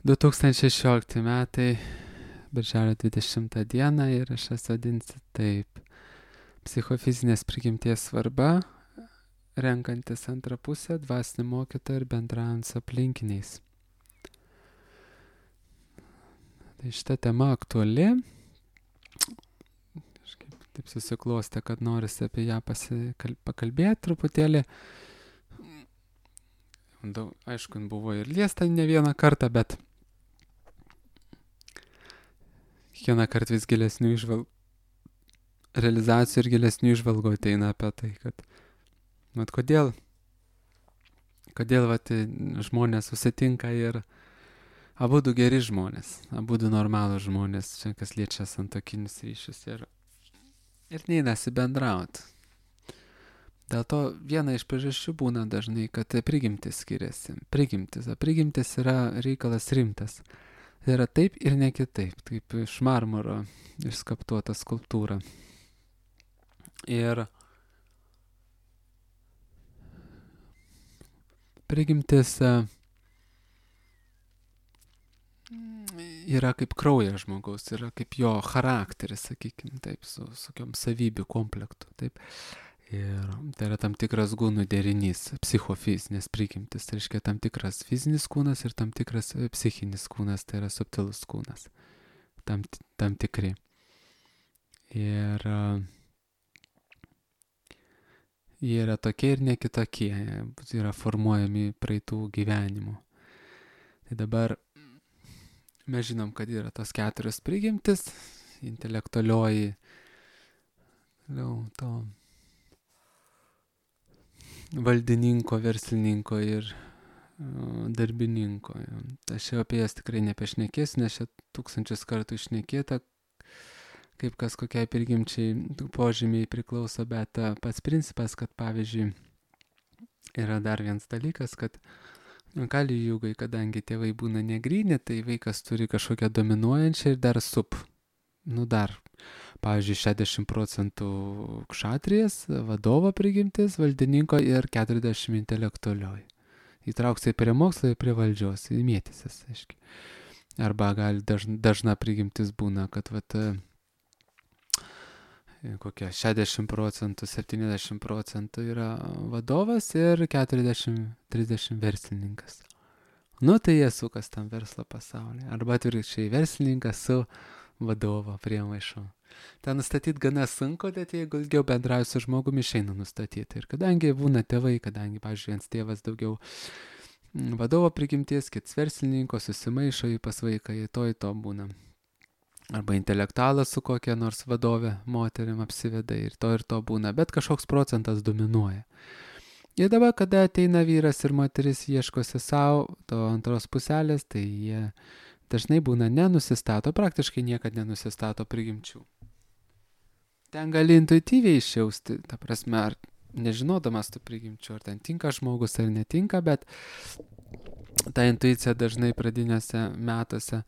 2016 metai, birželio 20 dieną įrašas vadinasi taip. Psichofizinės prigimties svarba, renkantis antrą pusę, dvasinį mokytoją ir bendraujant su aplinkiniais. Tai šita tema aktuali. Kažkaip taip susiklostė, kad norisi apie ją pakalbėti truputėlį. Aišku, buvo ir liesta ne vieną kartą, bet kiekvieną kartą vis gilesnių realizacijų ir gilesnių išvalgų ateina apie tai, kad kodėl žmonės susitinka ir abudu geri žmonės, abudu normalūs žmonės, čia kas liečia santokinius ryšius ir neinasi bendrauti. Dėl to viena iš priežasčių būna dažnai, kad prigimtis skiriasi. Prigimtis yra reikalas rimtas. Tai yra taip ir ne kitaip, kaip iš marmuro išskaptuota skulptūra. Ir prigimtis yra kaip kraujas žmogaus, yra kaip jo charakteris, sakykime, taip, su tokiom savybių komplektu, taip. Ir tai yra tam tikras gūnų derinys, psichofizinės prigimtis, tai reiškia tam tikras fizinis kūnas ir tam tikras psichinis kūnas, tai yra subtilus kūnas, tam tikri. Ir jie yra tokie ir ne kitokie, yra formuojami praeitų gyvenimų. Tai dabar mes žinom, kad yra tos 4 prigimtis, intelektualioji, to valdininko, verslininko ir darbininko. Aš jau apie jas tikrai nepešnekėsiu, nes čia 1000 kartų išnekėta, kaip kas kokiai prigimčiai požymiai priklauso, bet pats principas, kad pavyzdžiui yra dar vienas dalykas, kad Kali Jugai, kadangi tėvai būna negryni, tai vaikas turi kažkokią dominuojančią ir dar pavyzdžiui, 60% kšatrijas, vadovo prigimtis, valdininko ir 40% intelektualioji. Įtrauksiai prie mokslo ir prie valdžios, įmėtysis, aiškiai. Arba gali dažna prigimtis būna, kad kokia 60%, 70% yra vadovas ir 40-30 verslininkas. Tai jie sukas tam verslo pasaulyje. Arba atvirkščiai verslininkas su vadovo priemaišu. Ten nustatyti gana sunku, bet jeigu ilgiau bendrauji su žmogumi, išeina nustatyti. Ir kadangi būna tėvai, pavyzdžiui, vienas tėvas daugiau vadovo prigimties, kits verslininko, susimaišo į pas vaiką, į to būna. Arba intelektualas su kokia nors vadove moterim apsiveda ir to būna, bet kažkoks procentas dominuoja. Ir dabar, kada ateina vyras ir moteris ieškosi savo to antros puselės, tai jie dažnai būna nenusistato, praktiškai niekada nenusistato prigimčių. Ten gali intuityviai išjausti, ta prasme, ar nežinodamas tų prigimčių, ar ten tinka žmogus ar netinka, bet ta intuicija dažnai pradiniuose metuose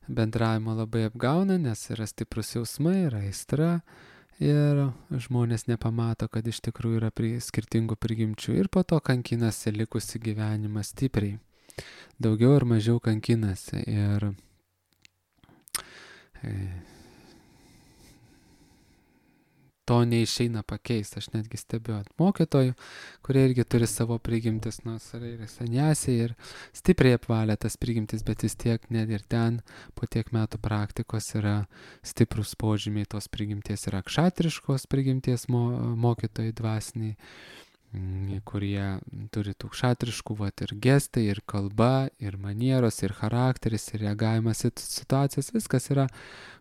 bendravimo labai apgauna, nes yra stiprus jausmai, yra aistra ir žmonės nepamato, kad iš tikrųjų yra skirtingų prigimčių ir po to kankinasi likusi gyvenimą stipriai. Daugiau ar mažiau kankinasi ir to neišeina pakeisti. Aš netgi stebiu mokytojų, kurie irgi turi savo prigimtis, nors yra sanjasiai ir stipriai apvalė tas prigimtis, bet vis tiek net ir ten po tiek metų praktikos yra stiprus požymiai tos prigimties, yra kšatriškos prigimties mokytojai dvasiniai, kurie turi tų kšatriškų ir gestai, ir kalba, ir manieros, ir charakteris, ir reagavimas į situacijas, viskas yra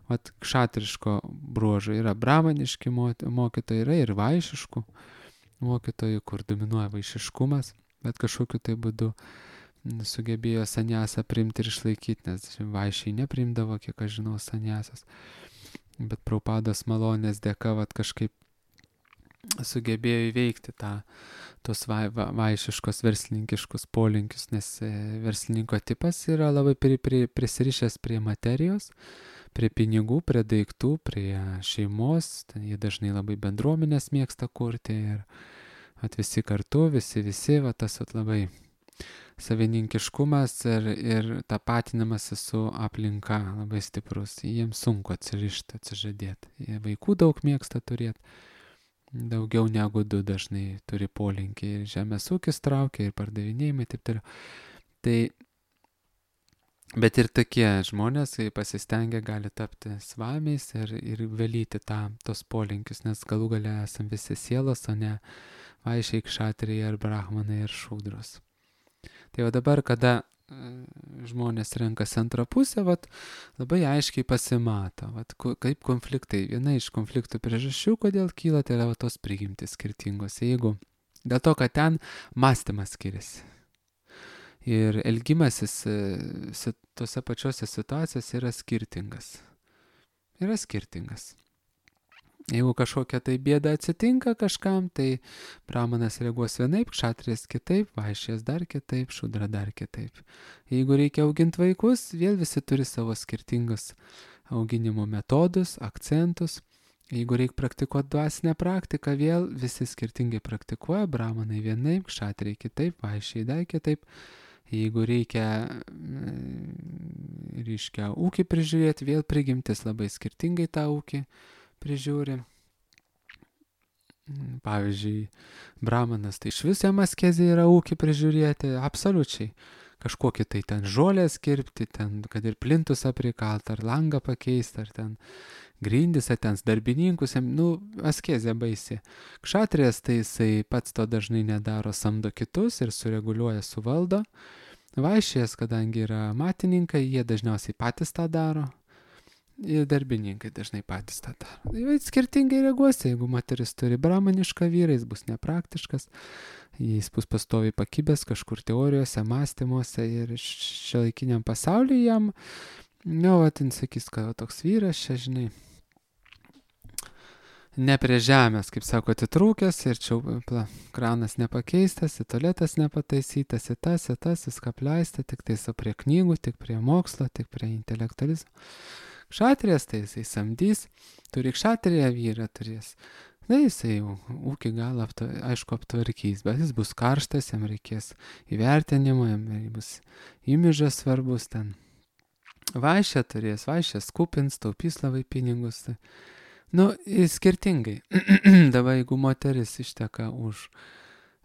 kšatriško bruožo. Yra brahmaniški mokytojai, yra ir vaišiškų mokytojų, kur dominuoja vaišiškumas, bet kažkokiu tai būdu sugebėjo sanjasą priimti ir išlaikyti, nes vaišiai neprimdavo, kiek aš žinau, sanjasas. Bet Prabhupados malonės dėka kažkaip sugebėjo įveikti tos vaišiškos verslininkiškus polinkius, nes verslininko tipas yra labai prisirišęs prie materijos, prie pinigų, prie daiktų, prie šeimos. Jie dažnai labai bendruomenės mėgsta kurti ir visi kartu, visi, tas labai savininkiškumas ir tapatinimas su aplinka labai stiprus. Jiems sunku atsirišti, atsižadėti. Jie vaikų daug mėgsta turėti. Daugiau negu 2 dažnai turi polinkį. Ir žemės ūkis traukia, ir pardavinėjimai, taip toliau. Tai, bet ir tokie žmonės, kai pasistengia, gali tapti svamiais ir valyti tos polinkius, nes galų gale esam visi sielos, o ne vaišiai, kšatriai, ar brahmanai, ar šūdros. Tai jau dabar, kada žmonės renkasi antrą pusę, labai aiškiai pasimato, kaip konfliktai. Viena iš konfliktų priežasčių, kodėl kyla, tai yra tos prigimtys skirtingos. Jeigu dėl to, kad ten mąstymas skiriasi. Ir elgimasis tose pačiose situacijose yra skirtingas. Jeigu kažkokia tai bėda atsitinka kažkam, tai brahmanas reaguos vienaip, kšatrijas kitaip, vaišės dar kitaip, šudra dar kitaip. Jeigu reikia auginti vaikus, vėl visi turi savo skirtingus auginimo metodus, akcentus. Jeigu reikia praktikuoti dvasinę praktiką, vėl visi skirtingai praktikuoja, brahmanai vienaip, kšatrija kitaip, vaišiai dar kitaip. Jeigu reikia, ūkį prižiūrėti, vėl prigimtis labai skirtingai tą ūkį prižiūri. Pavyzdžiui, brahmanas, tai iš viso jam askezė yra ūkį prižiūrėti, absoliučiai. Kažkokį tai ten žolės kirpti, ten, kad ir plintusą prikalt, ar langą pakeisti, ar ten grindis, ar ten darbininkus, askezė baisi. Kšatrijas, tai jisai pats to dažnai nedaro, samdo kitus ir sureguliuoja, suvaldo. Vaišės, kadangi yra matininkai, jie dažniausiai patys tą daro. Ir darbininkai dažnai patys tą daro. Tai skirtingai reaguosi, jeigu moteris turi brahmanišką vyrą, jis bus nepraktiškas, jis bus pastoviai pakibęs kažkur teorijose, mąstymuose ir šiuolaikiniam pasaulyje jam, sakys, kad toks vyras čia, žinai, ne prie žemės, kaip sako, atitrūkęs ir čia kranas nepakeistas, tualetas nepataisytas, tas, viską apleista, tik tai prie knygų, tik prie mokslo, tik prie intelektualizmo. Kšatrijas, tai jisai samdys, turi kšatriją vyrą turės. Na, jisai jau ūkį gal aišku aptvarkys, bet jis bus karštas, jam reikės įvertinimo, jam bus imidžas svarbus ten. Vaišę turės, vaišę skupins, taupys labai pinigus. Skirtingai. Dabar jeigu moteris išteka už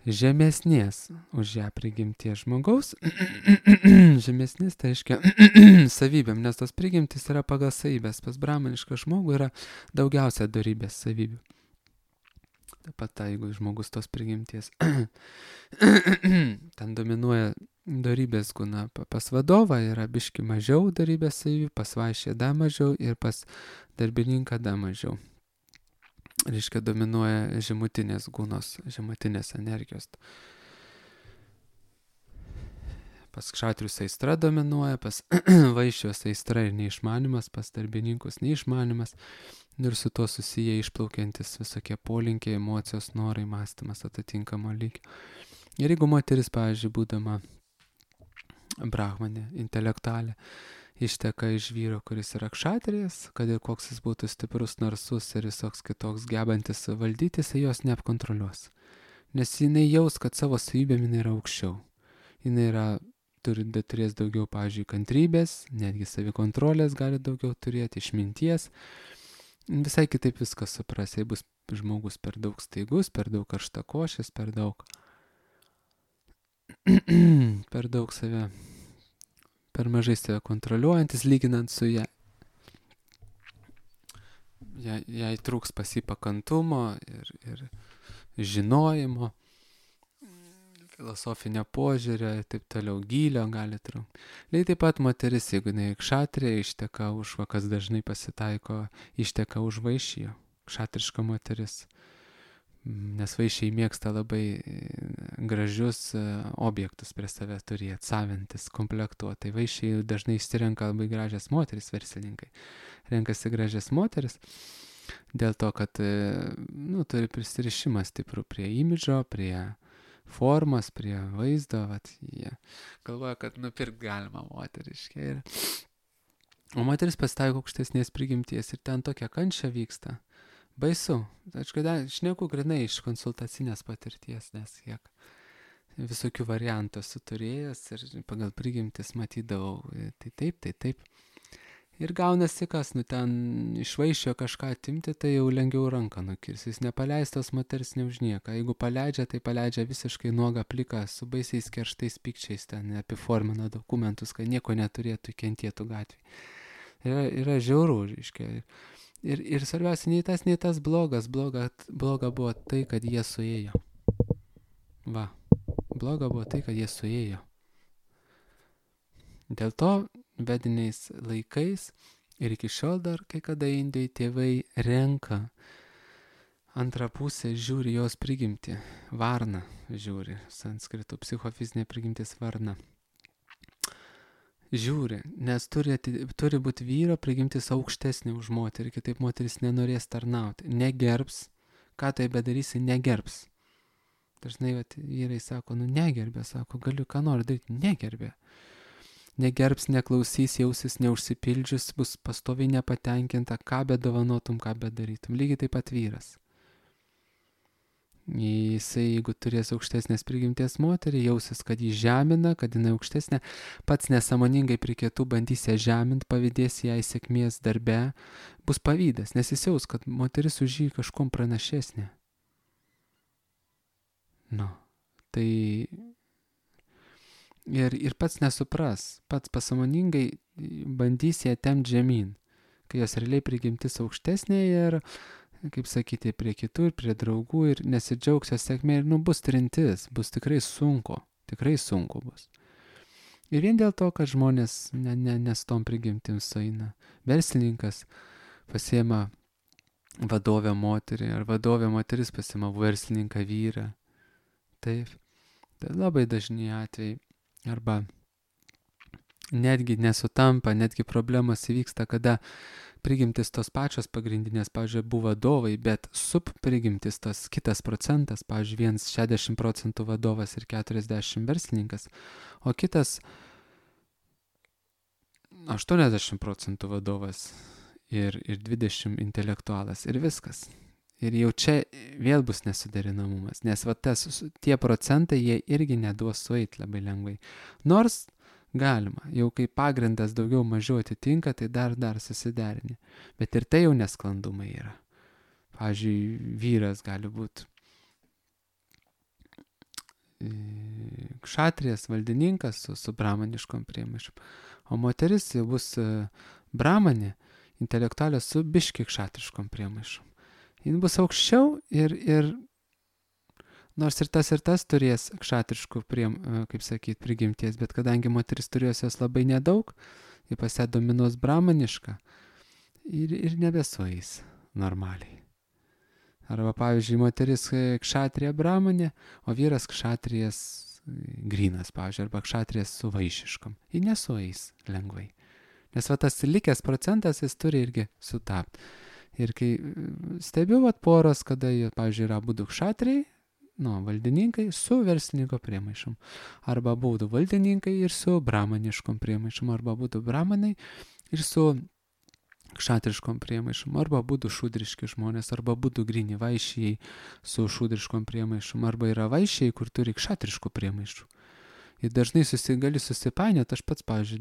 žemesnės, už ją prigimties žmogaus, žemesnės, tai reiškia savybėm, nes tos prigimtis yra pagal savybės. Pas brahmanišką žmogų yra daugiausia dorybės savybių. Taip pat, jeigu žmogus tos prigimties, ten dominuoja dorybės guna. Pas vadovą yra biški mažiau dorybės savybių, pas vaišę dar mažiau ir pas darbininką dar mažiau. Reiškia, dominuoja žemutinės gunos, žemutinės energijos. Pas kšatrius aistra dominuoja, pas vaišios aistra ir neišmanimas, pas darbininkus neišmanimas. Ir su tuo susiję išplaukiantis visokie polinkiai, emocijos, norai, mąstymas atitinkamo lygio. Ir jeigu moteris, pavyzdžiui, būdama brahmanė, intelektualė, išteka iš vyro, kuris yra kšatrijas, kad ir koks jis būtų stiprus, narsus ir visoks kitoks gebantis valdyti, jisai jos neapkontroliuos. Nes jinai jaus, kad savo savybėm jinai yra aukščiau. Jinai turės daugiau, pavyzdžiui, kantrybės, netgi savikontrolės gali daugiau turėti, išminties. Visai kitaip viskas supras, jei bus žmogus per daug staigus, per daug karštakošis, per daug save, per mažai save kontroliuojantis, lyginant su ją. Jai trūks pasipakantumo ir žinojimo, filosofinio požiūrio ir taip toliau, gylio gali trūkti. Lygiai taip pat moteris, jeigu jinai kšatrija, išteka už, kas dažnai pasitaiko, išteka už vaišiją, kšatriška moteris. Nes vaišiai mėgsta labai gražius objektus prie savęs turėti, savintis, komplektuoti. Tai vaišiai dažnai išsirenka labai gražias moteris, verslininkai. Renkasi gražias moteris dėl to, kad turi prisirišimą stiprų prie imidžo, prie formos, prie vaizdo. Jie galvoja, kad nupirkti galima moteriškai. O moteris pasitaiko aukštesnės prigimties ir ten tokia kančia vyksta. Baisu. Aš šneku grinai iš konsultacinės patirties, nes kiek visokių variantų esu turėjęs ir pagal prigimtis matydavau, tai taip. Ir gaunasi kas, ten išvaiščio kažką atimti, tai jau lengviau ranką nukirs. Jis nepaleistas moters ne už nieką. Jeigu paleidžia, tai paleidžia visiškai nuogą pliką, su baisiais kerštais pykčiais, ten apiformina dokumentus, kad nieko neturėtų kentėtų gatvėje. Yra žiauru, reiškia. Ir svarbiausia, nei tas blogas. Bloga buvo tai, kad jie suėjo. Va. Bloga buvo tai, kad jie suėjo. Dėl to vediniais laikais ir iki šiol dar kai kada Indijai tėvai renka antrą pusę, žiūri jos prigimtį. Varna žiūri, sanskritų psichofizinė prigimtis varna. Žiūri, nes turi būti vyro prigimtis aukštesnė už moterį, kitaip moteris nenorės tarnauti, negerbs, ką tai bedarysi, negerbs. Dažnai vyrai sako, negerbė, sako, galiu ką nori daryti, negerbė. Negerbs, neklausys, jausis neužsipildžius, bus pastoviai nepatenkinta, ką bedovanotum, ką bedarytum. Lygiai taip pat vyras. Jisai, jeigu turės aukštesnės prigimties moterį, jausis, kad jį žemina, kad jinai aukštesnė, pats nesąmoningai prie kitų bandys ją žeminti, pavydės jai sėkmės darbe, bus pavydas, nes jis jaus, kad moteris už jį kažkom pranašesnė. Tai ir pats nesupras, pats pasąmoningai bandys ją temti žemyn, kai jos realiai prigimtis aukštesnė ir, kaip sakyti, prie kitų ir prie draugų ir nesidžiaugs jos sėkmė ir bus trintis, bus tikrai sunku bus. Ir vien dėl to, kad žmonės nes tom prigimtim sueina. Verslininkas pasiema vadovę moterį, ar vadovė moteris pasiema verslininką vyrą. Taip, tai labai dažni atvejai. Arba netgi nesutampa, netgi problemos įvyksta, kada prigimtis tos pačios pagrindinės, pavyzdžiui, buvo vadovai, bet subprigimtis tas kitas procentas, pavyzdžiui, 60% vadovas ir 40% verslininkas, o kitas 80% vadovas ir 20% intelektualas ir viskas. Ir jau čia vėl bus nesuderinamumas, nes tie procentai jie irgi neduos sueit labai lengvai. Nors galima, jau kai pagrindas daugiau mažiau atitinka, tai dar susiderini. Bet ir tai jau nesklandumai yra. Pavyzdžiui, vyras gali būti kšatrijas, valdininkas su bramaniškom priemaišom, o moteris jau bus bramanė, intelektualė su biški kšatriškom priemaišom. Jis bus aukščiau ir nors ir tas turės kšatriškų prigimties, bet kadangi moteris turės jos labai nedaug, jie pas ją dominuos bramanišką ir nebesueis normaliai. Arba pavyzdžiui, moteris kšatrija bramanė, o vyras kšatrijas grynas, pavyzdžiui, arba kšatrijas su vaišiškom. Jie nesueis lengvai. Nes tas likęs procentas jis turi irgi sutapti. Ir kai stebiu poros, kada jie, pavyzdžiui, yra abudu kšatriai, valdininkai su verslininko priemaišom. Arba abudu valdininkai ir su bramaniškom priemaišom. Arba abudu bramanai ir su kšatriškom priemaišom. Arba abudu šudriški žmonės. Arba abudu gryni vaišiai su šudriškom priemaišom. Arba yra vaišiai, kur turi kšatriškų priemaišų. Ir dažnai gali susipainioti, aš pats, pavyzdžiui,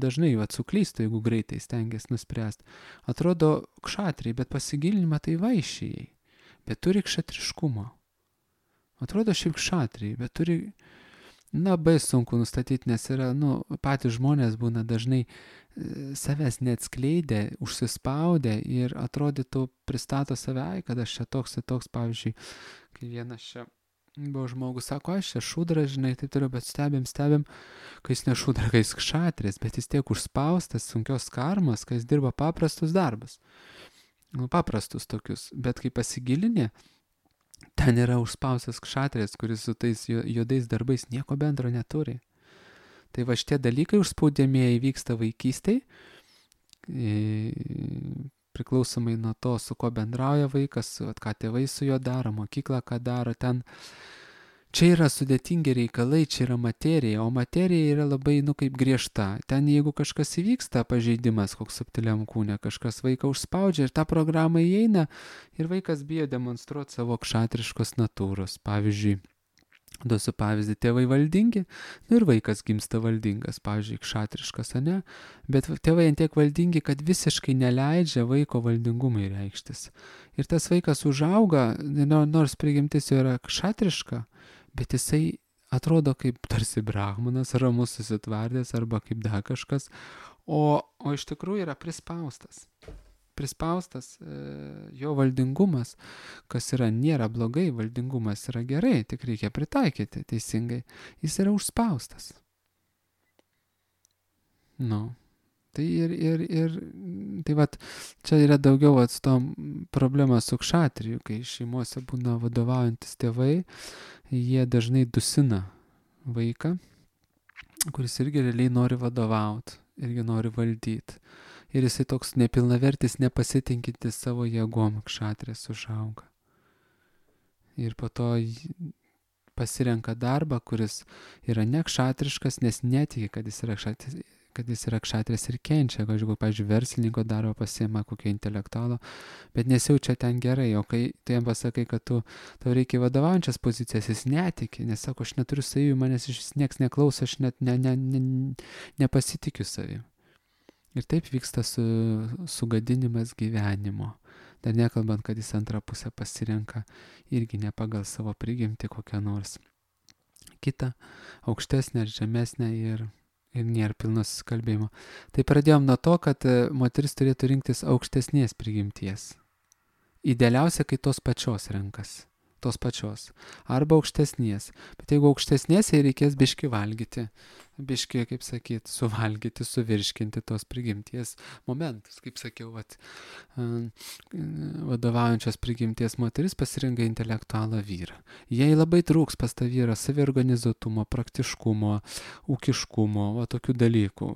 dažnai suklystu, jeigu greitai stengiasi nuspręsti. Atrodo kšatriai, bet pasigilinimą tai vaišiai, bet turi kšatriškumo. Atrodo šiaip kšatriai, bet turi, labai sunku nustatyti, nes yra, patys žmonės būna dažnai savęs neatskleidę, užsispaudę ir atrodytų pristato save, kad aš čia toks, pavyzdžiui, kai vienas čia buvo žmogus, sako, aš čia šudras, žinai, taip turiu, bet stebim, kai jis ne šudra, kai jis kšatris, bet jis tiek užspaustas, sunkios karmos, kai jis dirba paprastus darbus. Paprastus tokius, bet kai pasigilinė, ten yra užspaustas kšatris, kuris su tais juodais darbais nieko bendro neturi. Tai šitie dalykai užspaudėmieji vyksta vaikystėj, priklausomai nuo to, su ko bendrauja vaikas, ką tėvai su juo daro, mokykla ką daro, ten čia yra sudėtingi reikalai, čia yra materija, o materija yra labai, kaip griežta. Ten jeigu kažkas įvyksta, pažeidimas koks subtiliam kūne, kažkas vaiką užspaudžia ir tą programą įeina ir vaikas bijo demonstruoti savo kšatriškos natūros. Pavyzdžiui, Duosiu pavyzdį, tėvai valdingi, ir vaikas gimsta valdingas, pavyzdžiui, kšatriškas, ane, bet tėvai antiek valdingi, kad visiškai neleidžia vaiko valdingumui reikštis. Ir tas vaikas užauga, nors prigimtis jo yra kšatriška, bet jisai atrodo kaip tarsi brahmanas, ramus susitvardęs arba kaip dar kažkas, o iš tikrųjų yra prispaustas jo valdingumas, kas nėra blogai, valdingumas yra gerai, tik reikia pritaikyti teisingai, jis yra užspaustas. Tai tai vat, čia yra daugiau problema su kšatriju, kai šeimose būna vadovaujantis tėvai, jie dažnai dusina vaiką, kuris irgi realiai nori vadovauti, irgi nori valdyti. Ir jisai toks nepilnavertis, nepasitinkintis savo jėgom, kšatrės užauga. Ir po to pasirenka darbą, kuris yra nekšatriškas, nes netiki, kad jis yra kšatrės ir kenčia. Pavyzdžiui, verslininko darbą pasiima kokio intelektualo, bet nesijaučia ten gerai. O kai tu jam pasakai, kad tau reikia vadovaujančias pozicijas, jis netiki, nes sako, aš neturiu savybių, manęs iš nieks neklauso, aš net nepasitikiu savim. Ir taip vyksta sugadinimas gyvenimo. Dar nekalbant, kad jis antrą pusę pasirenka irgi ne pagal savo prigimtį kokią nors kitą, aukštesnę ar žemesnę ir nėra pilno susikalbėjimo. Tai pradėjom nuo to, kad moteris turėtų rinktis aukštesnės prigimties. Idealiausia, kai tos pačios renkas. Arba aukštesnės. Bet jeigu aukštesnės, jai reikės biški valgyti. Biški, kaip sakyt, suvalgyti, suvirškinti tos prigimties momentus. Kaip sakiau, vadovaujančios prigimties moteris pasirenka intelektualą vyrą. Jai labai trūks pas tą vyrą saviorganizuotumo, praktiškumo, ūkiškumo, tokių dalykų.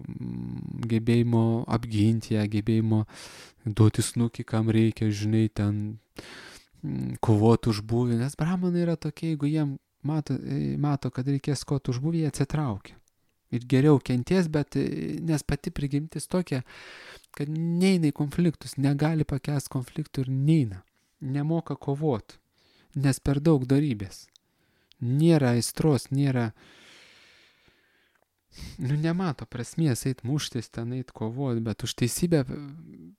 Gebėjimo apginti ją, gebėjimo duoti snukį, kam reikia, žinai, ten kovoti už būvį, nes brahmanai yra tokie, jeigu jiem mato, kad reikės kovoti už būvį, jie atsitraukia. Ir geriau kenties, bet nes pati prigimtis tokia, kad neina į konfliktus, negali pakęsti konfliktų ir neina. Nemoka kovoti, nes per daug dorybės. Nėra aistros, nemato prasmės eit muštis, ten eit kovoti, bet už teisybę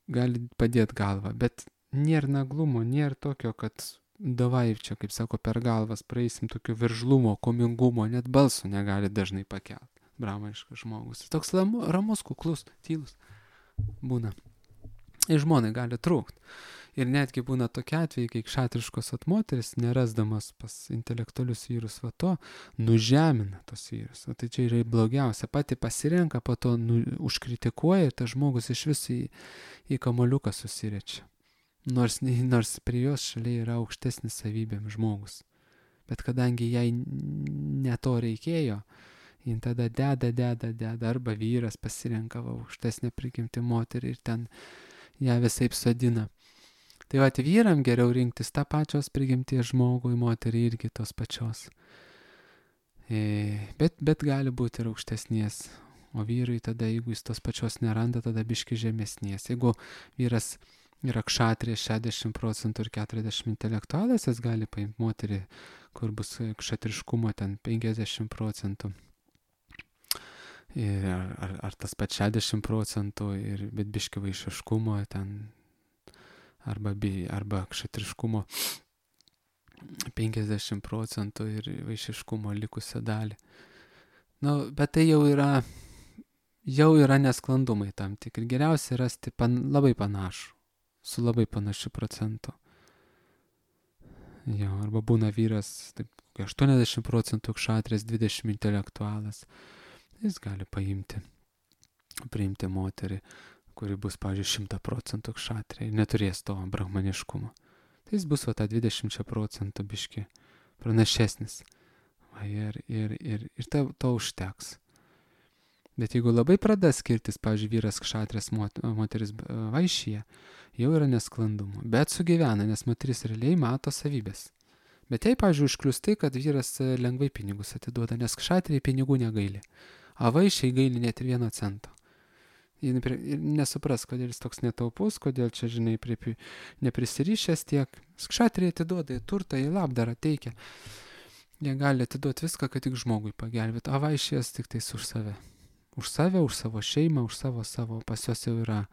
gali padėti galvą, bet nėra naglumo, nėra tokio, kad davai čia, kaip sako, per galvas praeisim tokio veržlumo, komingumo, net balso negali dažnai pakelti brahmaniškas žmogus. Toks ramus, kuklus, tylus būna. Ir žmonai gali trūkti. Ir netgi būna tokie atvejai, kai kšatriškos moteris, nerasdamas pas intelektualius vyrus nužemina tos vyrus. Tai čia yra blogiausia. Pati pasirenka, po to užkritikuoja ir tas žmogus iš viso į kamoliuką susirečia. Nors prie jos šalia yra aukštesnis savybėm žmogus. Bet kadangi jai ne to reikėjo, jin tada deda, arba vyras pasirenka aukštesnę prigimtį moterį ir ten ją visaip sodina. Tai vyram geriau rinktis tą pačios prigimties žmogų, moterį irgi tos pačios. Bet gali būti ir aukštesnės. O vyrai tada, jeigu jis tos pačios neranda, tada biški žemesnės. Jeigu vyras yra kšatrė 60% ir 40% intelektualas, jis gali paimti moterį, kur bus kšatriškumo ten 50%. Ar tas pat 60%, bet biški vaišiškumo ten, arba kšatriškumo 50% ir vaišiškumo likusią dalį. Bet tai jau yra nesklandumai tam tikri. Geriausia rasti labai panašų, su labai panašiu procentu. Arba būna vyras, taip, 80% kšatrės, 20% intelektualas. Jis gali priimti moterį, kuri bus, pavyzdžiui, 100% kšatrė ir neturės to brahmaniškumo. Tai jis bus tą 20% biški pranašesnis. Ir to užteks. Bet jeigu labai pradeda skirtis, pavyzdžiui, vyras kšatrės, moteris vaišyje, jau yra nesklandumų. Bet sugyvena, nes moteris realiai mato savybės. Bet jei, pavyzdžiui, užklius tai, kad vyras lengvai pinigus atiduoda, nes kšatriai pinigų negaili. A vaišiai gaili net ir 1 cento. Ir nesupras, kodėl jis toks netaupus, kodėl čia, žinai, neprisirišęs tiek. Kšatriai atiduoda į turtą, į labdarą teikia. jie gali atiduoti viską, kad tik žmogui pagelbėtų, o vaišės tik tais už save. Už save, už savo šeimą, už savo, pas juos jau yra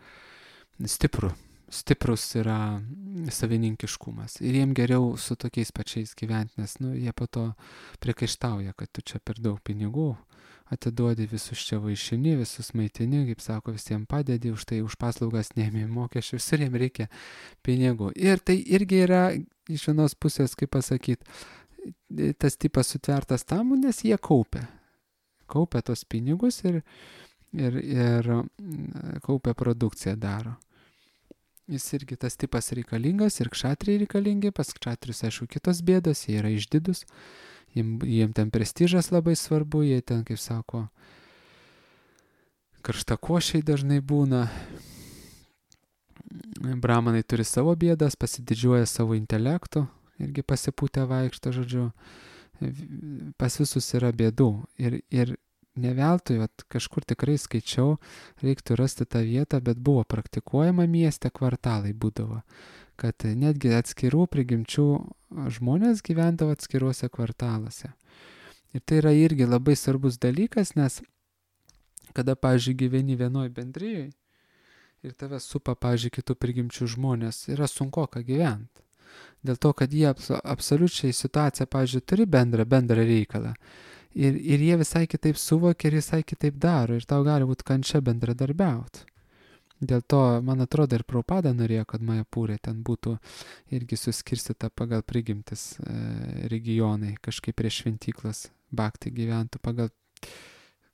stiprus yra savininkiškumas. Ir jiem geriau su tokiais pačiais gyventi, nes, jie po to priekaištauja, kad tu čia per daug pinigų atiduodi, visus čia vaišini, visus maitini, kaip sako, visiems padedi, už tai už paslaugas neėmė mokesčių, visur jiem reikia pinigų. Ir tai irgi yra iš vienos pusės, kaip pasakyti, tas tipas sutvertas tam, nes jie kaupia tos pinigus ir kaupia produkciją daro. Jis irgi tas tipas reikalingas ir kšatriai reikalingi, pas kšatrius, aišku, kitos bėdos, jie yra išdidus, jiem ten prestižas labai svarbu, jie ten, kaip sako, karštakošiai dažnai būna. Brahmanai turi savo bėdas, pasididžiuoja savo intelektu, irgi pasipūtę vaikšto, žodžiu, pas visus yra bėdų. Ir ne veltui, kažkur tikrai skaičiau, reiktų rasti tą vietą, bet buvo praktikuojama mieste, kvartalai būdavo, kad netgi atskirų prigimčių žmonės gyvendavo atskiruose kvartaluose. Ir tai yra irgi labai svarbus dalykas, nes kada, pavyzdžiui, gyveni vienoj bendrijai ir tave supa, pavyzdžiui, kitų prigimčių žmonės, yra sunkoka gyventi. Dėl to, kad jie absoliučiai situaciją, pavyzdžiui, turi bendrą reikalą. Ir jie visai kitaip suvokia ir visai kitaip daro. Ir tau gali būti kančia bendradarbiauti. Dėl to, man atrodo, ir Prabhupada norėjo, kad Majapūrė ten būtų irgi suskirstyta pagal prigimtis regionai, kažkaip prie šventyklas Bhakti gyventų pagal,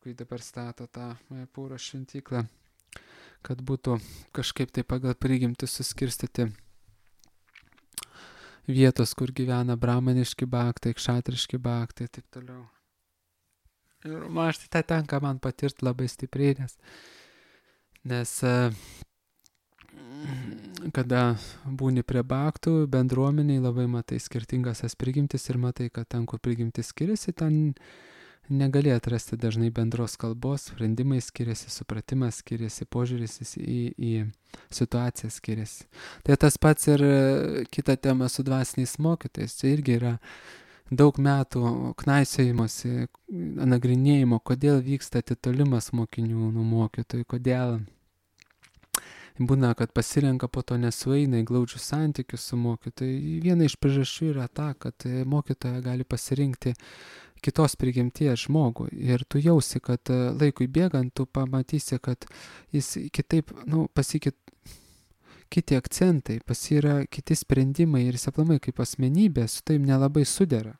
kai dabar stato tą Majapūro šventyklą, kad būtų kažkaip tai pagal prigimtis suskirstyti vietos, kur gyvena brahmaniški bhaktai, kšatriški bhaktai ir taip toliau. Ir man tai tenka man patirti labai stipriai, nes kada būni prie bhaktų, bendruomeniai labai matai skirtingas tas prigimtis ir matai, kad ten, kur prigimtis skiriasi, ten negali atrasti dažnai bendros kalbos, sprendimai skiriasi, supratimas skiriasi, požiūris į situaciją skiriasi. Tai tas pats ir kita tema su dvasiniais mokytojais. Čia irgi yra daug metų knaisiojimosi, nagrinėjimo, kodėl vyksta atitolimas mokinių nuo mokytojų, kodėl būna, kad pasirenka, po to nesueina į glaudžius santykius su mokytoju. Viena iš priežasčių yra ta, kad mokytoja gali pasirinkti kitos prigimties žmogų ir tu jausi, kad laikui bėgant tu pamatysi, kad jis kitaip, kiti akcentai, yra kiti sprendimai ir jis aplamai kaip asmenybė su taim nelabai sudera.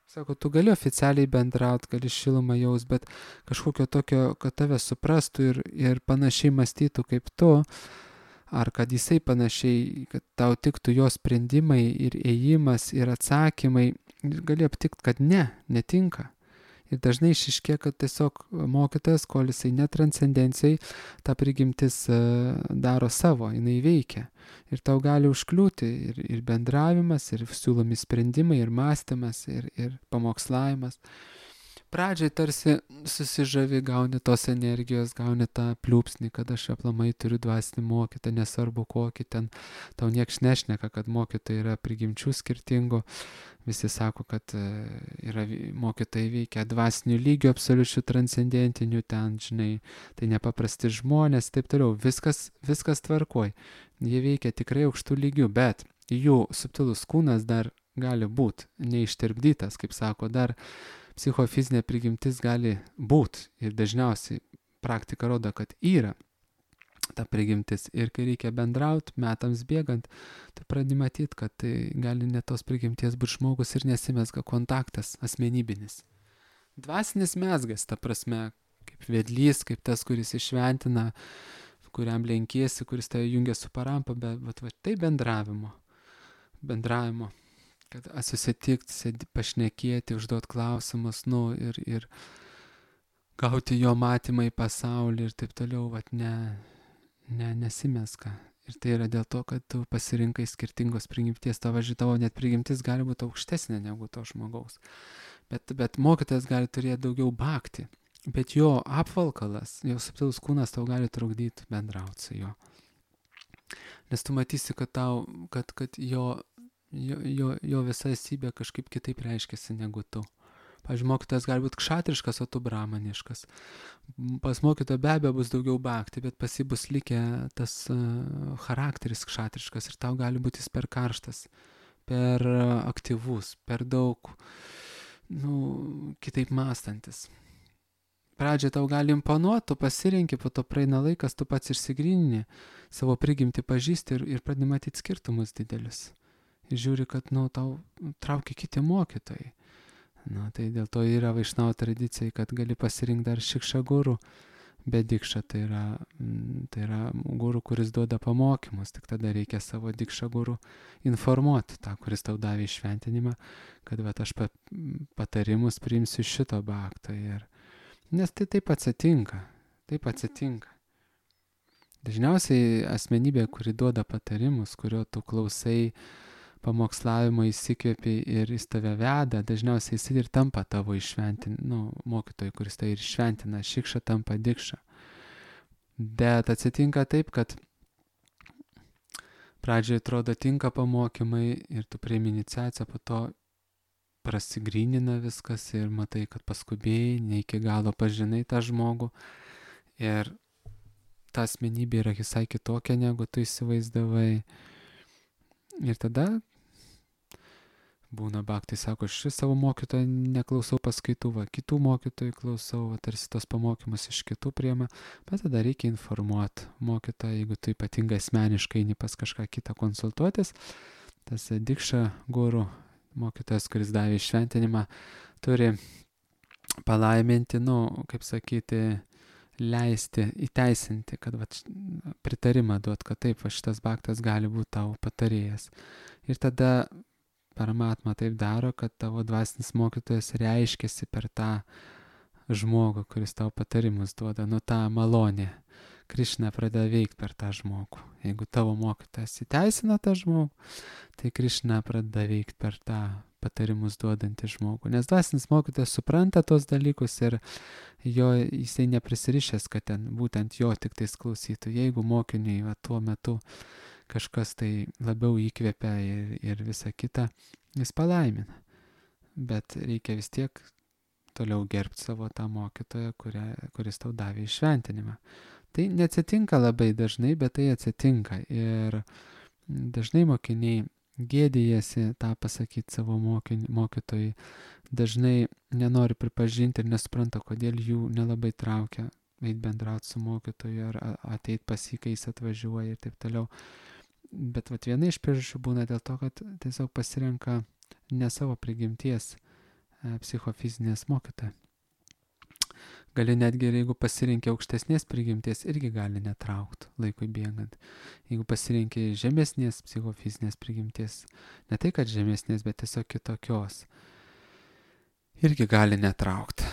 Sako, tu gali oficialiai bendrauti, gali šilumą jaus, bet kažkokio tokio, kad tave suprastų ir panašiai mąstytų kaip tu, ar kad jisai panašiai, kad tau tiktų jo sprendimai ir ėjimas ir atsakymai, gali aptikti, kad netinka. Ir dažnai išiškė, kad tiesiog mokytojas, kol jisai netranscendencijai, ta prigimtis daro savo, jinai veikia. Ir tau gali užkliūti ir bendravimas, ir siūlomi sprendimai, ir mąstymas, ir pamokslavimas. Pradžiai tarsi susižavi, gauni tos energijos, gauni tą pliūpsnį, kad aš aplamai turiu dvasinį mokytą, nesvarbu kokį ten, tau nieks nešneka, kad mokytojai yra prigimčių skirtingų. Visi sako, kad mokytojai veikia dvasinių lygių, absoliučių transcendentinių, ten, žinai, tai nepaprasti žmonės, taip toliau, viskas tvarkoj. Jie veikia tikrai aukštų lygių, bet jų subtilus kūnas dar gali būti neištirpdytas, kaip sako, dar psichofizinė prigimtis gali būti ir dažniausiai praktika rodo, kad yra ta prigimtis ir kai reikia bendrauti, metams bėgant, tai pradedi matyti, kad tai gali net tos prigimties būti žmogus ir nesimezga kontaktas asmenybinis. Dvasinis mezgas, ta prasme, kaip vedlys, kaip tas, kuris išventina, kuriam lenkiesi, kuris tave jungia su parampa, bet tai bendravimo, kad susitikti, pašnekėti, užduoti klausimus, ir gauti jo matymą į pasaulį ir taip toliau, nesimeska. Ir tai yra dėl to, kad tu pasirinkai skirtingos prigimties, tavo net prigimtis gali būti aukštesnė negu to žmogaus. Bet mokytojas gali turėti daugiau bhakti, bet jo apvalkalas, jo subtilus kūnas tau gali trukdyti bendrauti su juo. Nes tu matysi, kad jo jo visa esybė kažkaip kitaip reiškiasi negu tu. Pavyzdžiui, mokytojas gali būti kšatriškas, o tu brahmaniškas. Pas mokytoją be abejo bus daugiau bhakti, bet pas jį bus likę tas charakteris kšatriškas ir tau gali būti jis per karštas, per aktyvus, per daug, kitaip mąstantis. Pradžiai tau gali imponuoti, tu pasirinki, po to praeina laikas, tu pats išsigrynini, savo prigimtį pažįsti ir pradedi matyti skirtumus didelius. Ir žiūri, kad tau traukia kiti mokytojai. Tai dėl to yra vaišnavo tradicijai, kad gali pasirinkti dar šikša guru, bet dikša tai yra guru, kuris duoda pamokymus, tik tada reikia savo dikša guru informuoti tą, kuris tau davė išventinimą, kad aš patarimus priimsiu šito bhakto. Nes tai taip atsitinka. Dažniausiai asmenybė, kuri duoda patarimus, kurio tu klausai, pamokslavimo įsikvėpi ir jis tave veda, dažniausiai jis ir tampa tavo mokytojai, kuris tai ir šventina, šikša tampa dikša. Bet atsitinka taip, kad pradžioje atrodo tinka pamokymai ir tu priimi iniciaciją, po to prasigrynina viskas ir matai, kad paskubėjai, ne iki galo pažinai tą žmogų ir ta asmenybė yra visai kitokia, negu tu įsivaizdavai. Ir tada būna bhaktai, sako, aš savo mokytoją neklausau paskaitų, kitų mokytojų klausau, tarsi tos pamokymus iš kitų priema, bet tada reikia informuoti mokytoją, jeigu tu ypatingai asmeniškai eini pas kažką kitą konsultuotis, tas dikša guru, mokytojas, kuris davė šventinimą, turi palaiminti, kaip sakyti, leisti, įteisinti, kad pritarimą duot, kad taip, šitas bhaktas gali būti tavo patarėjas. Ir tada Paramatma taip daro, kad tavo dvasinis mokytojas reiškiasi per tą žmogų, kuris tau patarimus duoda, tą malonę. Krišna pradeda veikti per tą žmogų. Jeigu tavo mokytojas įteisina tą žmogų, tai Krišna pradeda veikti per tą patarimus duodantį žmogų. Nes dvasinis mokytojas supranta tos dalykus ir jisai neprisirišęs, kad ten būtent jo tik tais klausytų. Jeigu mokiniui tuo metu kažkas tai labiau įkvepia ir visa kita, jis palaimina. Bet reikia vis tiek toliau gerbti savo tą mokytoją, kuris tau davė išventinimą. Tai neatsitinka labai dažnai, bet tai atsitinka. Ir dažnai mokiniai gėdijasi tą pasakyti savo mokytojai. Dažnai nenori pripažinti ir nesupranta, kodėl jų nelabai traukia eit bendrauti su mokytoju ar ateit pas jį, kai jis atvažiuoja ir taip toliau. Bet viena iš priežasčių būna dėl to, kad tiesiog pasirenka ne savo prigimties psichofizinės mokytoją. Gali netgi, jeigu pasirinkia aukštesnės prigimties, irgi gali netraukti laikui bėgant. Jeigu pasirinkia žemesnės psichofizinės prigimties, ne tai, kad žemesnės, bet tiesiog kitokios, irgi gali netraukti.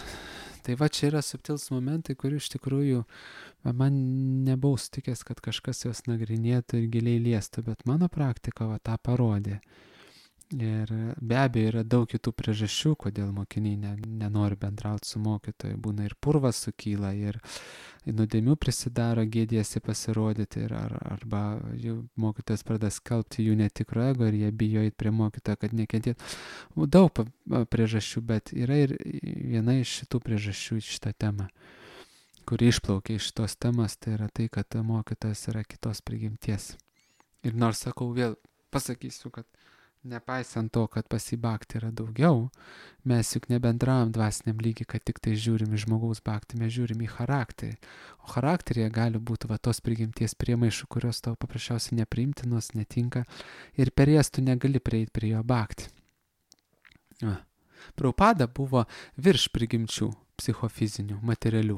Tai čia yra subtils momentai, kurių iš tikrųjų man nebuvau sutikęs, kad kažkas juos nagrinėtų ir giliai liestų, bet mano praktika tą parodė. Ir be abejo yra daug kitų priežasčių, kodėl mokiniai nenori bendrauti su mokytoju. Būna ir purvas sukyla, ir nuodėmių prisidaro, gėdijasi pasirodyti, arba jų mokytojas pradeda skelbti jų netikro ego ir jie bijo eiti prie mokytojo, kad nekentėtų. Daug priežasčių, bet yra ir viena iš šitų priežasčių šitą temą, kuri išplaukia iš šitos temos, tai yra tai, kad mokytojas yra kitos prigimties. Ir nors sakau, vėl pasakysiu, kad nepaisant to, kad pas jį bhakti yra daugiau, mes juk nebendravom dvasiniam lygiai, kad tik tai žiūrim į žmogaus bhakti, mes žiūrim į charakterį. O charakteryje gali būti tos prigimties priemaišų, kurios tau paprasčiausiai nepriimtinos, netinka ir per jas tu negali prieiti prie jo bhakti. Prabhupada buvo virš prigimčių psichofizinių, materialių.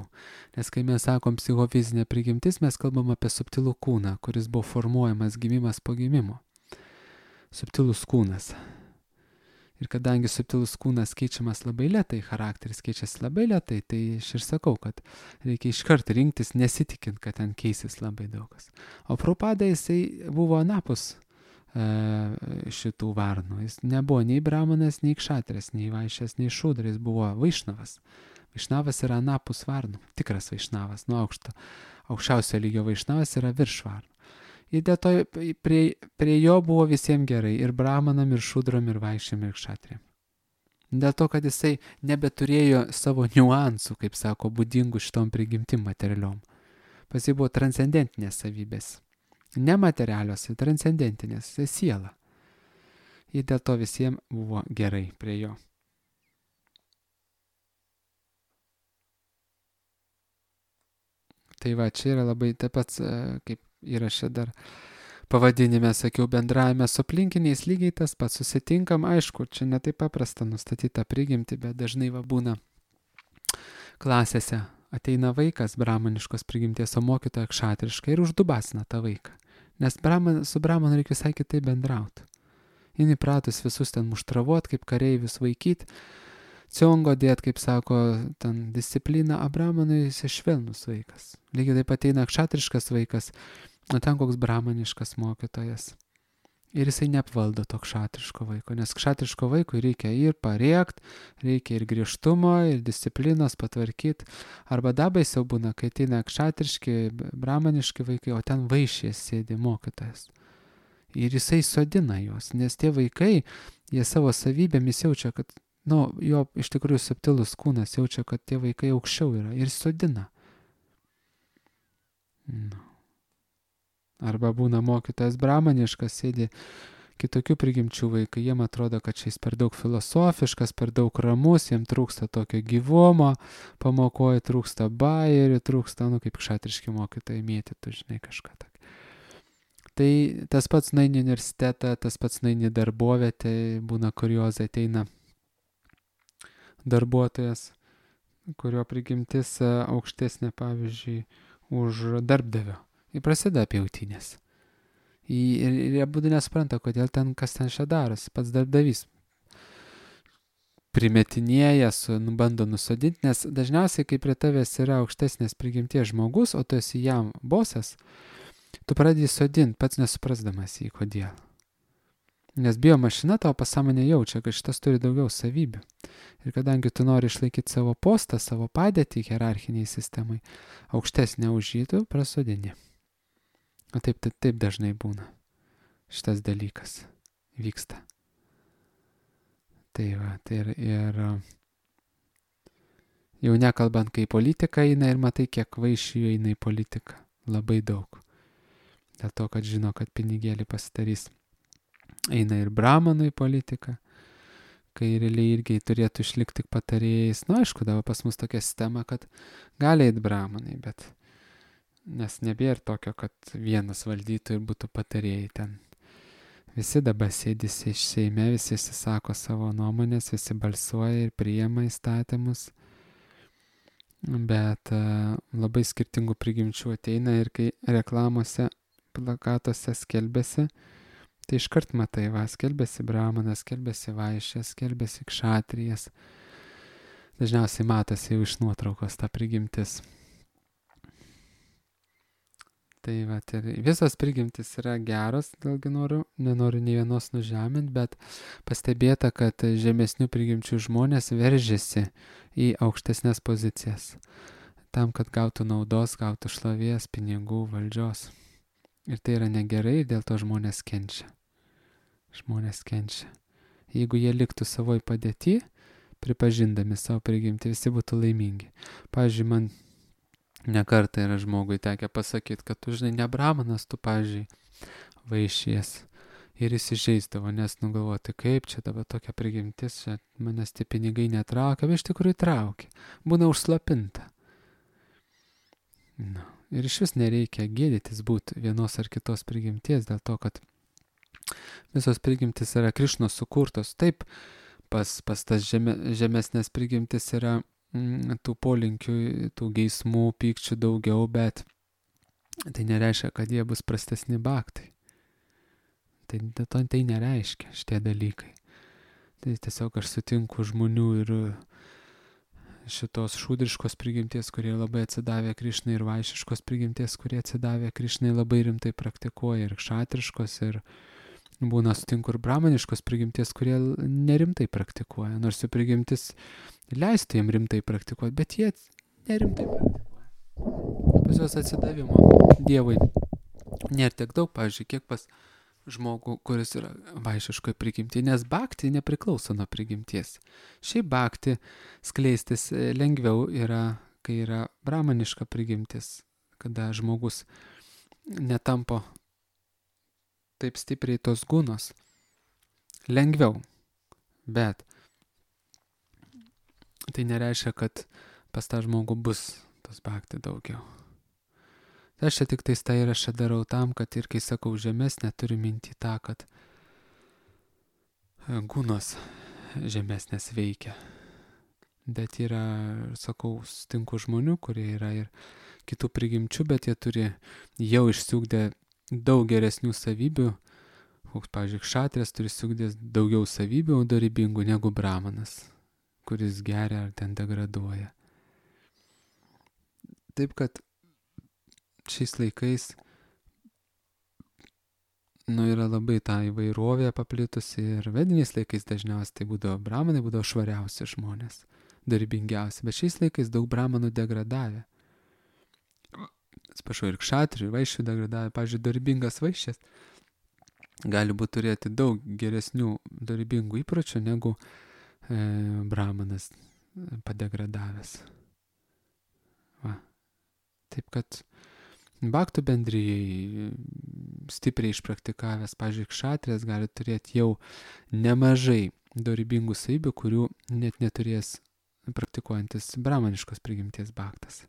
Nes kai mes sakom psichofizinė prigimtis, mes kalbam apie subtilų kūną, kuris buvo formuojamas gimimas po gimimo. Subtilus kūnas. Ir kadangi subtilus kūnas keičiamas labai lėtai, charakteris keičiasi labai lėtai, tai aš ir sakau, kad reikia iškart rinktis, nesitikint, kad ten keisis labai daugas. O Prabhupada jisai buvo anapus šitų varnų. Jis nebuvo nei brahmanas, nei kšatras, nei vaišės, nei šudras, jis buvo vaišnavas. Vaišnavas yra anapus varnų, tikras vaišnavas, nuo aukščiausio lygio vaišnavas yra virš varnų. Ir dėl to prie jo buvo visiems gerai, ir bramanam, ir šudram, ir vaišėm, ir kšatriam. Dėl to, kad jisai nebeturėjo savo niuansų, kaip sako, būdingų šitom prigimtim materialiom. Pas jį buvo transcendentinės savybės. Nematerialios, transcendentinės, tai siela. Ir dėl to visiems buvo gerai prie jo. Tai va, čia yra labai taip pat, kaip įrašė dar pavadinime, sakiau, bendravime su aplinkiniais lygiai tas pats, susitinkam, aišku, čia ne taip paprasta nustatyti tą prigimtį, bet dažnai va būna klasėse, ateina vaikas bramaniškos prigimties, o mokytoja kšatriška ir uždubasina tą vaiką. Nes su bramanu reikia visai kitaip bendrauti. Jis įpratus visus ten muštravot, kaip kareivius vaikyti, ciongo dėt, kaip sako, ten disciplina, o bramanui jis švelnus vaikas. Lygiai taip ateina kšatriškas vaikas, o ten koks bramaniškas mokytojas. Ir jisai neapvaldo to kšatriško vaiko, nes kšatriško vaikui reikia ir parėkt, reikia ir griežtumo, ir disciplinos patvarkyti. Arba dabaisiau būna, kai ateina kšatriški, bramaniški vaikai, o ten vaišės sėdi mokytojas. Ir jisai sodina juos, nes tie vaikai, jie savo savybėmis jaučia, kad, jo iš tikrųjų subtilus kūnas jaučia, kad tie vaikai aukščiau yra ir sodina. Arba būna mokytojas bramaniškas, sėdi kitokių prigimčių vaikai, jiem atrodo, kad šis per daug filosofiškas, per daug ramus, jiem trūksta tokio gyvumo, pamokoje trūksta bajerių, trūksta, kaip kšatriški mokytojai mėtytų, žinai, kažką tokio. Tai tas pats nueini universitetą, tas pats nueini darbovietę, būna kuriozai, ateina darbuotojas, kurio prigimtis aukštesnė, pavyzdžiui, už darbdavio. Ir prasideda pjautynės. Ir jie būtų nesupranta, kodėl ten, kas ten čia darosi. Pats darbdavys primetinėja, bando nusodinti, nes dažniausiai, kai prie tavęs yra aukštesnės prigimties žmogus, o tu esi jam bosas, tu pradedi sodinti, pats nesuprasdamas jį, kodėl. Nes biomašina tavo pasąmonė jaučia, kad šitas turi daugiau savybių. Ir kadangi tu nori išlaikyti savo postą, savo padėtį hierarchiniai sistemai, aukštesnė už jį, tu prasodini. O taip dažnai būna. Šitas dalykas vyksta. Tai va, tai ir jau nekalbant, kai politika eina ir matai, kiek vaišių eina į politiką. Labai daug. Dėl to, kad žino, kad pinigėlį pasidarys. Eina ir bramanų į politiką, kai realiai irgi turėtų išlikti tik patarėjais. Aišku, dabar pas mus tokia sistema, kad gali eiti bramanai, bet nes nebėra tokio, kad vienas valdytų ir būtų patarėjai ten. Visi dabar sėdisi iš Seime, visi sako savo nuomonės, visi balsuoja ir priima įstatymus, bet labai skirtingų prigimčių ateina ir kai reklamose, plakatuose skelbėsi, tai iškart matai, skelbėsi bramanas, skelbėsi vaišės, skelbėsi kšatrijas. Dažniausiai matosi jau iš nuotraukos ta prigimtis. Tai va, visos prigimtis yra geros, dėlgi nenoriu nei vienos nužeminti, bet pastebėta, kad žemesnių prigimčių žmonės veržiasi į aukštesnės pozicijas. Tam, kad gautų naudos, gautų šlovės, pinigų, valdžios. Ir tai yra negerai, dėl to žmonės kenčia. Žmonės kenčia. Jeigu jie liktų savoj padėty, pripažindami savo prigimtį, visi būtų laimingi. Pavyzdžiui, man nekartą yra žmogui tekę pasakyti, kad tu, žinai, ne bramanas, tu, pavyzdžiui, vaišies. Ir jis įžeisdavo, nes nugalvoti, kaip čia dabar tokia prigimtis, čia manęs tie pinigai netraukia, bet iš tikrųjų traukia. Būna užslapinta. Ir iš vis nereikia gėdytis būti vienos ar kitos prigimties, dėl to, kad visos prigimtis yra Krišnos sukurtos. Taip, pas tas žemesnės prigimtis yra tų polinkių, tų geismų, pykčių daugiau, bet tai nereiškia, kad jie bus prastesni baktai. Tai nereiškia šitie dalykai. Tai tiesiog aš sutinku žmonių ir šitos šūdriškos prigimties, kurie labai atsidavė Krišnai, ir vaišiškos prigimties, kurie atsidavė Krišnai, labai rimtai praktikuoja, ir kšatriškos, ir būna sutinku ir bramaniškos prigimties, kurie nerimtai praktikuoja, nors jų prigimtis leistų jiem rimtai praktikuoti, bet jie nerimtai praktikuoja. Pas juos atsidavimo Dievui nėra tiek daug, pavyzdžiui, kiek pas žmogų, kuris yra vaišiškoje prigimti, nes bhakti nepriklauso nuo prigimties. Šiaip bhakti skleistis lengviau yra, kai yra brahmaniška prigimtis, kada žmogus netampo taip stipriai tos gunos. Lengviau, bet tai nereiškia, kad pas tą žmogų bus tos bhakti daugiau. Tai aš čia tik tais tą įrašą darau tam, kad ir kai sakau žemesnė, turiu minti tą, kad gunos žemesnės veikia. Bet yra, sakau, sutinku žmonių, kurie yra ir kitų prigimčių, bet jie turi jau išsiugdę daug geresnių savybių. Koks, pavyzdžiui, kšatrės turi išsiugdęs daugiau savybių dorybingų negu brahmanas, kuris geria ar ten degraduoja. Taip kad šiais laikais yra labai ta įvairovė paplitusi ir vediniais laikais dažniausiai tai būdavo brahmanai, būdavo švariausi žmonės, dorybingiausi, bet šiais laikais daug brahmanų degradavę. Atsiprašau, ir kšatrių, ir vaišių degradavę. Pavyzdžiui, dorybingas vaišės gali būti turėti daug geresnių dorybingų įpročių negu brahmanas padegradavęs. Va. Taip kad bhaktų bendrijai stipriai išpraktikavęs, pavyzdžiui, kšatrės gali turėti jau nemažai dorybingų savybių, kurių net neturės praktikuojantis brahmaniškos prigimties bhaktas.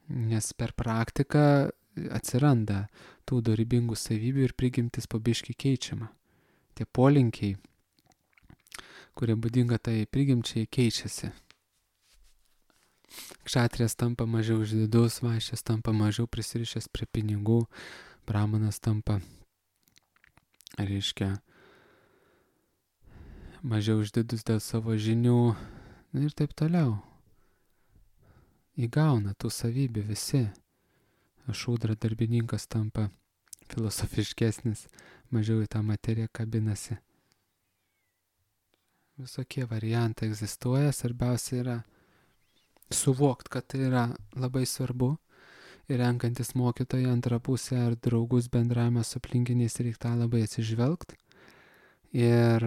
Nes per praktiką atsiranda tų dorybingų savybių ir prigimtis po biškį keičiama. Tie polinkiai, kurie būdinga tai prigimčiai, keičiasi. Kšatrės tampa mažiau išdidus, vaišės tampa mažiau prisirišęs prie pinigų, brahmanas tampa, reiškia, mažiau išdidus dėl savo žinių ir taip toliau. Įgauna tų savybių visi. Šūdra darbininkas tampa filosofiškesnis, mažiau į tą materiją kabinasi. Visokie variantai egzistuoja, svarbiausia yra suvokti, kad tai yra labai svarbu ir renkantis mokytoją antrą pusę ar draugus bendravimą su aplinkiniais reikia tą labai atsižvelgti ir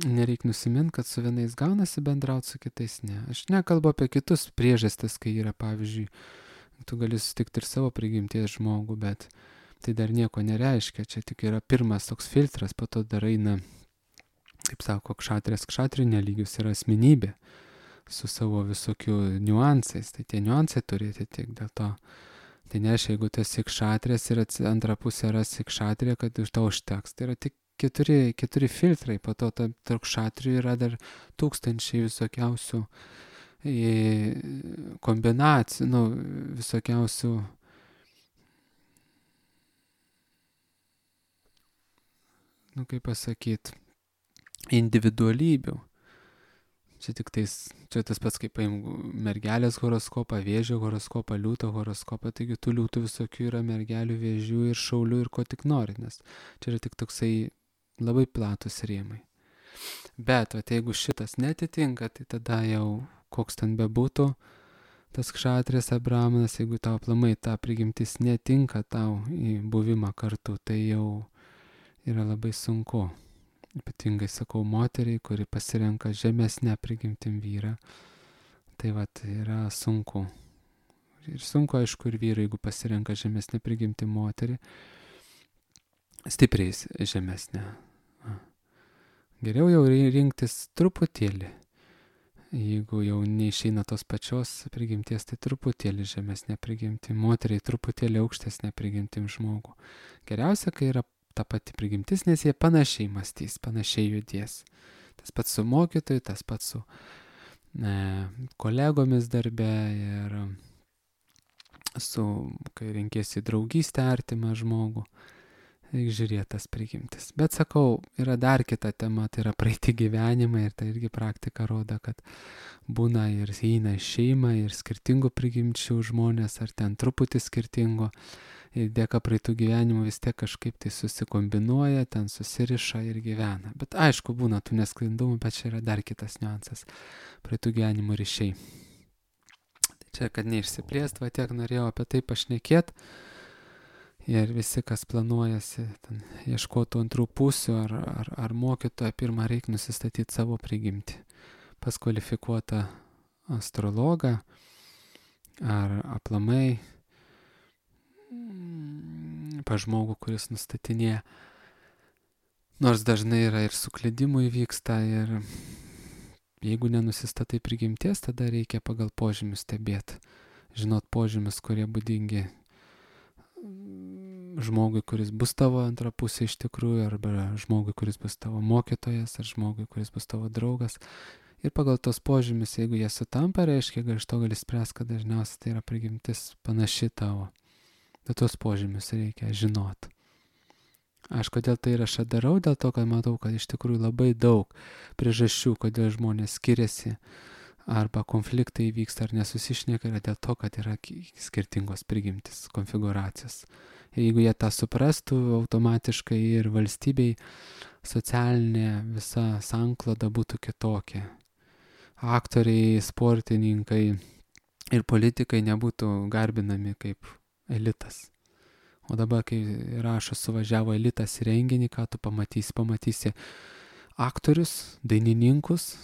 nereikia nusimint, kad su vienais gaunasi bendrauti, su kitais ne. Aš nekalbu apie kitus priežastis, kai yra, pavyzdžiui, tu gali sutikti ir savo prigimties žmogų, bet tai dar nieko nereiškia, čia tik yra pirmas toks filtras, po to dar eina, kaip sako, kšatrių nelygius yra asmenybė su savo visokių niuansais, tai tie niuansai turėti tik dėl to. Tai nereiškia, jeigu tu esi kšatrės ir antrą pusę rasi kšatrė, kad iš to užteks. Tai yra tik keturi filtrai, po to tarp kšatrių yra dar tūkstančiai visokiausių kombinacijų, visokiausių kaip pasakyti, individualybių. Čia tas pats, kaip paimų mergelės horoskopą, vėžio horoskopą, liūto horoskopą, taigi tų liūtų visokių yra mergelių, vėžių ir šaulių ir ko tik nori, nes čia yra tik toksai labai platus rėmai. Bet jeigu šitas netitinka, tai tada jau koks ten bebūtų tas kšatrės ar brahmanas, jeigu tau aplamai ta prigimtis netinka tau į buvimą kartu, tai jau yra labai sunku. Ypatingai sakau moteriai, kuri pasirenka žemesnę prigimtim vyrą. Tai yra sunku. Ir sunku, aišku, ir vyrui, jeigu pasirenka žemesnę prigimtim moterį, stipriai žemesnę. Geriau jau rinktis truputėlį. Jeigu jau neišeina tos pačios prigimties, tai truputėlį žemesnė prigimtim, moteriai truputėlį aukštesnė prigimtim žmogų. Geriausia, kai yra ta pati prigimtis, nes jie panašiai mąstys, panašiai judės. Tas pats su mokytoju, tas pats su kolegomis darbe ir kai renkėsi draugystę artimą žmogų, reikia žiūrėti tas prigimtis. Bet sakau, yra dar kita tema, tai yra praeiti gyvenimą ir tai irgi praktika rodo, kad būna ir eina šeima ir skirtingų prigimčių žmonės, ar ten truputį skirtingo. Ir dėka praeitų gyvenimų vis tiek kažkaip tai susikombinuoja, ten susiriša ir gyvena. Bet aišku, būna tų nesklindumų, bet čia yra dar kitas niuansas. Praeitų gyvenimų ryšiai. Tai Čia, kad neišsiplėst, va tiek norėjau apie tai pašnekėt. Ir visi, kas planuojasi, ten, ieškotų antrų pusių ar mokytoją, pirmą reikia nusistatyti savo prigimtį. Pas kvalifikuotą astrologą ar aplamai pas žmogų, kuris nustatinėja. Nors dažnai yra ir suklydimų įvyksta, ir jeigu nenusistatai prigimties, tada reikia pagal požymius stebėti. Žinot požymius, kurie būdingi žmogui, kuris bus tavo antra pusė iš tikrųjų, arba žmogui, kuris bus tavo mokytojas, ar žmogui, kuris bus tavo draugas. Ir pagal tos požymius, jeigu jie sutampa, reiškia, iš to gali spręsti, kad dažniausiai tai yra prigimtis panaši tavo. Bet tos požymius reikia žinot. Aš kodėl tai rašą darau, dėl to, kad matau, kad iš tikrųjų labai daug priežasčių, kodėl žmonės skiriasi, arba konfliktai vyksta ar nesusišneka, yra dėl to, kad yra skirtingos prigimtis, konfiguracijos. Ir jeigu jie tą suprastų, automatiškai ir valstybei socialinė visa sankloda būtų kitokia. Aktoriai, sportininkai ir politikai nebūtų garbinami kaip elitas. O dabar, kai rašo, suvažiavo elitas į renginį, ką tu pamatysi aktorius, dainininkus,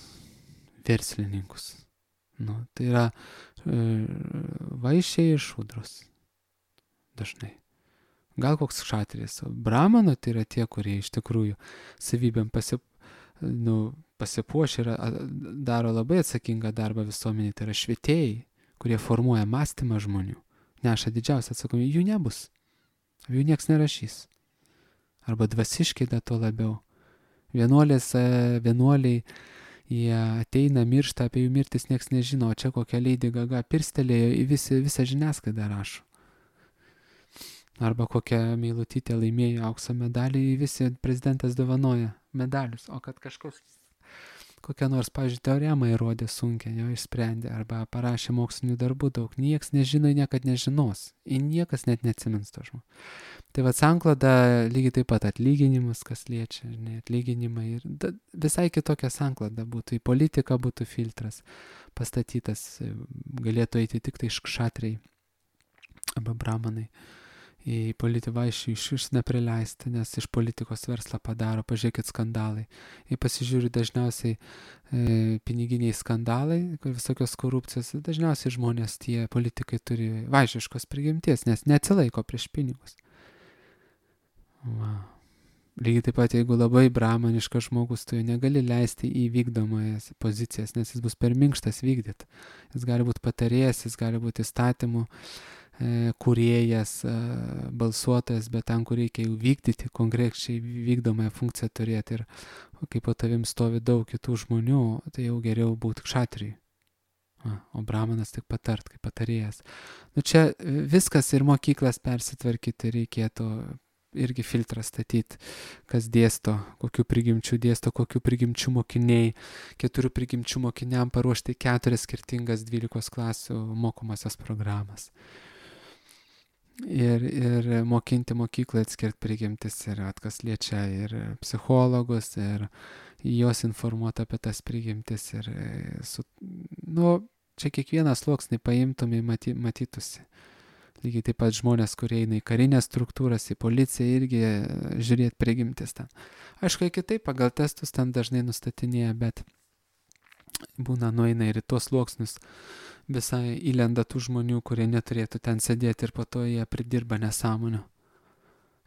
verslininkus. Tai yra vaišiai ir šudros. Dažnai. Gal koks šatris. Brahmano tai yra tie, kurie iš tikrųjų savybėm pasipuošia ir daro labai atsakingą darbą visuomenėje. Tai yra švietėjai, kurie formuoja mąstymą žmonių. Neša didžiausią atsakomybę. Jų nebus. Jų nieks nerašys. Arba dvasiškai dar to labiau. Vienuoliai, jie ateina, miršta, apie jų mirtis nieks nežino, o čia kokia Lady Gaga pirstelėjo į visą žiniasklaidą rašo. Arba kokia Meilutytė laimėjo aukso medalį, visi prezidentas dovanoja medalius, o kad kažkoks kokią nors, pavyzdžiui, teoremą įrodė sunkiai, jo išsprendė, arba parašė mokslinių darbų daug, nieks nežino, niekad nežinos, ir niekas net neatsimins to žmogų. Tai va, sankloda lygiai taip pat atlyginimus, kas liečia, atlyginimai, ir visai kitokia sankloda būtų, į politiką būtų filtras pastatytas, galėtų eiti tik tai kšatriai arba brahmanai. Į politivaišį iš neprileisti, nes iš politikos verslą padaro, pažiūrėkit skandalai. Jei pasižiūri dažniausiai piniginiai skandalai, visokios korupcijos, dažniausiai žmonės, tie politikai turi vaišiškos prigimties, nes neatsilaiko prieš pinigus. Va. Lygiai taip pat, jeigu labai brahmaniškas žmogus, tu jo negali leisti į vykdomojas pozicijas, nes jis bus per minkštas vykdyti. Jis gali būti patarėjas, jis gali būti įstatymų kūrėjas, balsuotojas, bet ten, kur reikia jau vykdyti, konkrečiai vykdomąją funkciją turėti, ir kai po tavim stovi daug kitų žmonių, tai jau geriau būti kšatrijui. O brahmanas tik patart, kaip patarėjas. Čia viskas ir mokyklas persitvarkyti reikėtų, irgi filtrą statyti, kas dėsto, kokių prigimčių dėsto, kokių prigimčių mokiniai, 4 prigimčių mokiniam paruošti 4 skirtingas 12 klasių mokomasias programas. Ir mokinti mokyklą atskirti prigimtis, ir kas liečia ir psichologus, ir juos informuoti apie tas prigimtis, ir čia kiekvieną sluoksnį paimtumai, matytųsi. Lygiai taip pat žmonės, kurie eina į karinės struktūras, į policiją, irgi žiūrėti prigimtis ten. Aišku, kitaip pagal testus ten dažnai nustatinėja, bet būna nueina ir į tuos sluoksnius, visai įlenda tų žmonių, kurie neturėtų ten sėdėti, ir po to jie pridirba nesąmonių.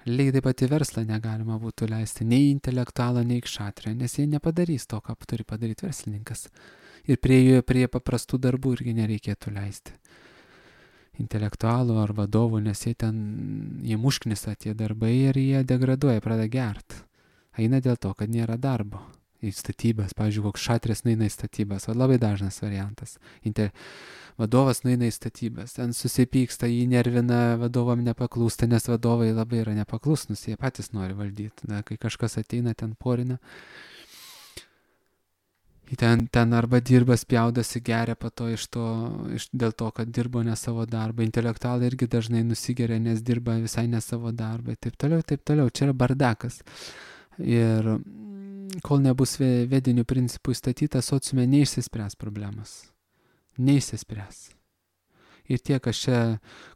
Lygiai taip pat į verslą negalima būtų leisti nei intelektualą, nei kšatriją, nes jie nepadarys to, ką turi padaryti verslininkas. Ir prie paprastų darbų irgi nereikėtų leisti intelektualų ar vadovų, nes jie mušknisa tie darbai ir jie degraduoja, pradeda gert. Eina dėl to, kad nėra darbo. Į statybas, pavyzdžiui, koks šatris nueina į statybas, o labai dažnas variantas. Vadovas nueina į statybas, ten susipyksta, jį nervina, vadovam nepaklūsta, nes vadovai labai yra nepaklusnus, jie patys nori valdyti. Kai kažkas ateina, ten porina, ten arba dirba, spjaudosi, geria po to dėl to, kad dirbo ne savo darbą. Intelektualai irgi dažnai nusigeria, nes dirba visai ne savo darbą. Taip toliau. Čia yra bardakas. Ir kol nebus vedinių principų įstatyta, sociume neišsispręs problemas. Neišsispręs. Ir tie, kas čia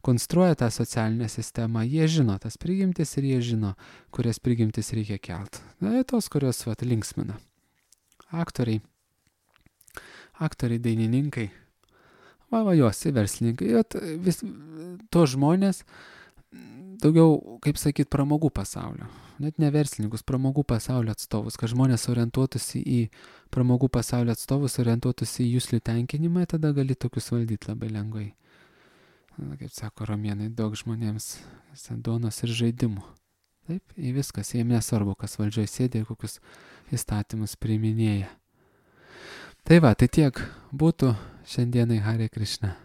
konstruoja tą socialinę sistemą, jie žino tas prigimtis ir jie žino, kurias prigimtis reikia kelt. Na, tos, kurios linksmina. Aktoriai, dainininkai, jos, verslininkai, to žmonės daugiau, kaip sakyt, pramogų pasaulio. Net ne verslininkus, pramogų pasaulio atstovus, kad žmonės orientuotųsi į pramogų pasaulio atstovus, orientuotųsi į jūslių tenkinimą, tada gali tokius valdyti labai lengvai. Kaip sako romėnai, daug žmonėms duonos ir žaidimų. Taip, į viskas, jiems nesvarbu, kas valdžioje sėdė ir kokius įstatymus priiminėja. Tai va, tai tiek būtų šiandienai Hare Krishna.